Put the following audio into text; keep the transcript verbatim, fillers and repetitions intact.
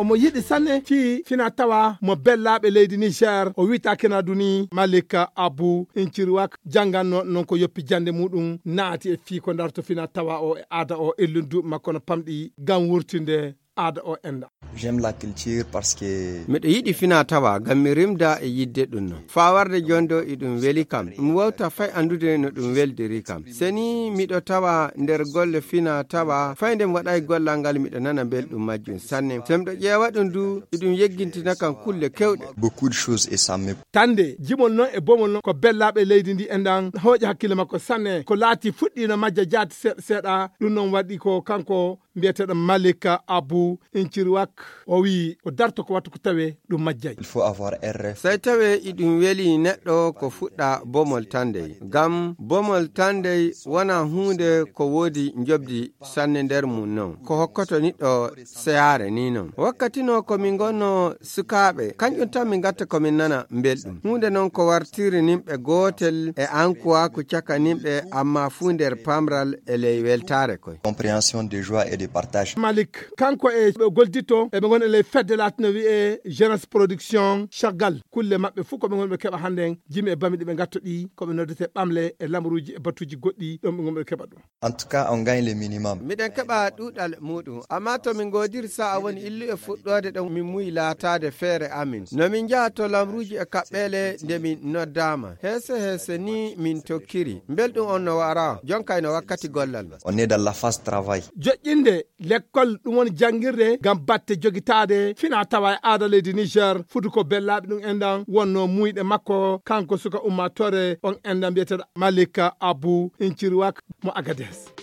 Mo yiɗi sanne fii fina tawa mo bellaaɓe leydi Niger, o wi'ata Kenaduni Malik Abu Incirwak, jannganno non ko yoppi jannde muɗum, naati e fii ko darto fina tawa o e aada o, e lundundu makko no pamɗi ngam wurtinde aada o enda. J'aime la culture parce que miɗo yiɗi fina tawa ngam mi rimda e yidde ɗum non. Faa warde jooni ɗo, iɗum weli kam. Mi wawta fay anndude no ɗum weldiri kam. Seni miɗo tawa nder golle fina tawa, fay nde mi waɗay gollal ngal, miɗo nana belɗum majjum sanne. So miɗo ƴeewa ɗum du, iɗum yeggintina kam kulle kewɗe. Beaucoup de choses et ça me Tande, jimol non e bomol non ko bellaaɓe leydi ndi endan hooƴi hakkille makko sanne. Ko laati fuɗɗiino majja jaati seeɗa seeɗa, ɗum non waɗi ko kanko mbiyeteeɗo Malik Abu Incirwak, o wi'i o darto ko wattu ko tawe ɗum majjay. Il faut avoir R F. Sey tawe iɗum weli neɗɗo ko fuɗɗa bomol tandey. Ngam bomol tandey wona huunde ko woodi njobdi sanne nder mum non. Ko hokkoto niɗɗo seyaare ni non. Wakkati no ko min ngonno sukaaɓe, kanƴum tan min ngatta ko min nana mbelɗum. Huunde non ko wartiri nimɓe gootel e ankuwaaku caka nimɓe, amma fuu nder pamral e ley weltaare koy. Compréhension de joie et de partage. Malik, kanko e ɓe goldito, e ɓe ngoni e ley fedde laatino wi'e Jeunesse Production Chagall. Kulle maɓɓe fuu ko ɓe ngoni ɓe keɓa hannden, jimi e bami ɗi ɓe ngatto ɗi, ko ɓe noddete ɓamle e lamaruuji e batuuji goɗɗi, ɗon ɓe ngoni ɓe keɓa ɗum. En tout cas, on gagne le minimum. Miɗen keɓa ɗuuɗal muɗum, amma to min ngoodiri sa'a woni illu e fuɗɗoode ɗon min muyi laataade feere amin. No min njaha to lamruuji e kaɓɓeele nde min noddaama. Heese heese ni min tokkiri. Mbelɗum on no wara, jonkay no wakkati gollal. On est dans la phase travail. Joƴƴinde lekkol ɗum woni janngirde ngam batte jogitaade fina tawa e aada leydi Niger, fudu ko bellaaɓe ɗum enɗan wonno muyɗe makko, kanko suka ummaatoore on enɗan mbiyeteeɗo Malik Abu Incirwak mo Agadez.